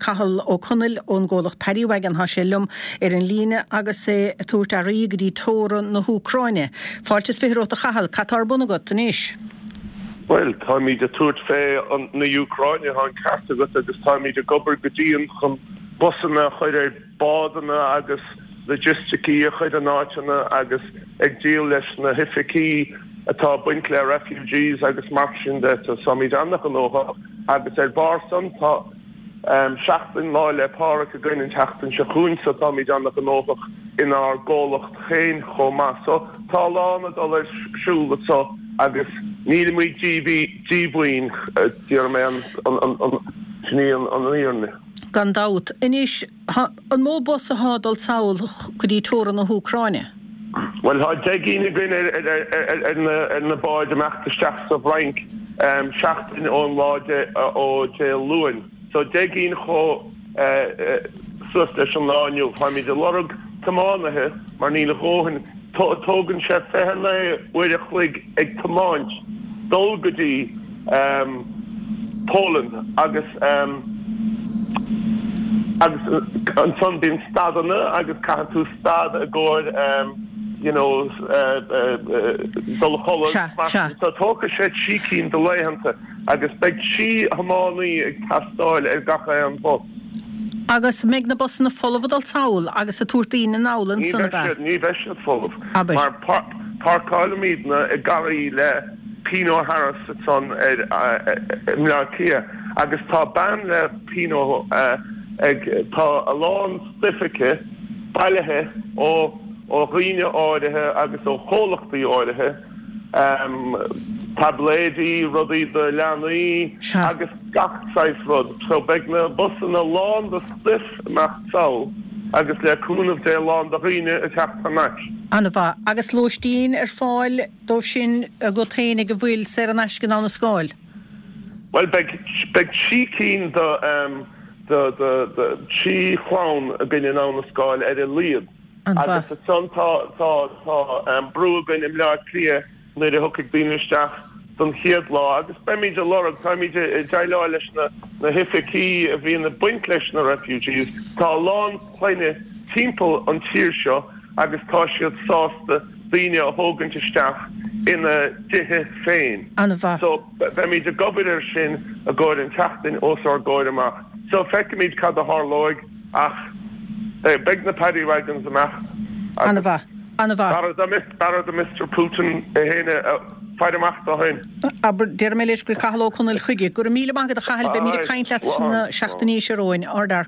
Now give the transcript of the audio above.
Cathal Ó Conaill ón gcomhlacht Paddy Wagon, tá sé liom ar an líne agus é ag tabhairt earraí go dtí teorainn na hÚcráine. Fáilte is 20 romhat a Chathail, cad tá ar bun agat anois? Bhuel, táimid ag tabhairt fé na Úcráine, tá an ceart agat, agus táimid ag obair go dian chun busanna a chur ar bádanna agus logisticí a chur in áiteanna agus ag díol leis na hoifigí atá ag baint le refugees agus mar sin de. Táimid ana-ghnóthach agus ar bharr san tá seachtain Lá 'le Pádraig againn an tseachtain seo chugainn so táimid ana-ghnóthach inár gcomhlacht féin chomh maith. So tá a lán ag dul ar siúl anso agus nílimid díomhaoin, déarfaidh mé an, sin í an fhírinne. Gan dabht. Anois, an mó bus athá ag dul sall go dtí teorainn na hÚcráine? Bhuel, tá 10 gcinn againn ar na báid ag imeacht isteach sa bhFrainc seachtain ón lá ó Dé Luain. So 10 gcinn chomh suas leis an lá inniu. Táimid ag lorg tiománaithe mar níl a dhóthain. Tógann sé 29 uair a chloig ag tiomáint dul go dtí Poland agus agus ansan bíonn stadanna agus caitheann tú stad i gcomhair you know dul a chodladh mar sin so tógfaidh sé trí cinn de laethanta. Agus beidh 3 thiománaí ag teastáil ar gach aon bhus. Agus an mbeidh na busanna folamh ag dul sall agus ag tabhairt daoine anall ansan, ab ea? Ní bheidh siad folamh. Mar páirceálaimidne i garraí le Pino Harris ansan ar i mBleá Cliath agus tá bean le Pino ag tá a lán stuif aici bailithe ó ó dhaoine áirithe agus ó chomhlachtaí áirithe. taibléidí, rudaí do leanaí agus gach saghas rud. So beidh na busanna lán de stuif ag imeacht sall agus le cúnamh Dé lán de dhaoine ag teacht thar n-ais. An-mhaith. Agus lóistín ar fáil dóibh sin agat féin ag a bhfuil saor in aisce in Abha na Scáil? Bhuel beidh, beidh trí cinn de, de, de, de, trí chlann againn in Abha na Scáil ar a laghad. Agus ansan tá, tá, tá brú againn i mBleá Cliath nuair a thiocfaidh daoine isteach don chéad lá agus beimid ag lorg, táimid ag déileáil leis na, na hoifigí a bhíonn ag baint leis na refugees, tá a lán clainne timpeall an tír seo agus tá siad sásta daoine a thógaint isteach ina dtithe féin. An-mhaith. So beimid ag obair ar sin i gcomhair an tseachtain os ár gcomhair amach. So feicfimid cad a tharlóidh. Ach beidh na Paddy Wagons ag imeacht agus An-mhaith. An-mhaith. b'fhearra do Mister Putin é féin a faire amach dó féin. Abair, déarfaidh mé leis go bhfuil Cathal Ó Conaill chuige. Go raibh míle maith agat a Chathail, beimid ag caint leat sna seachtainí seo romhainn. Ardmhaith.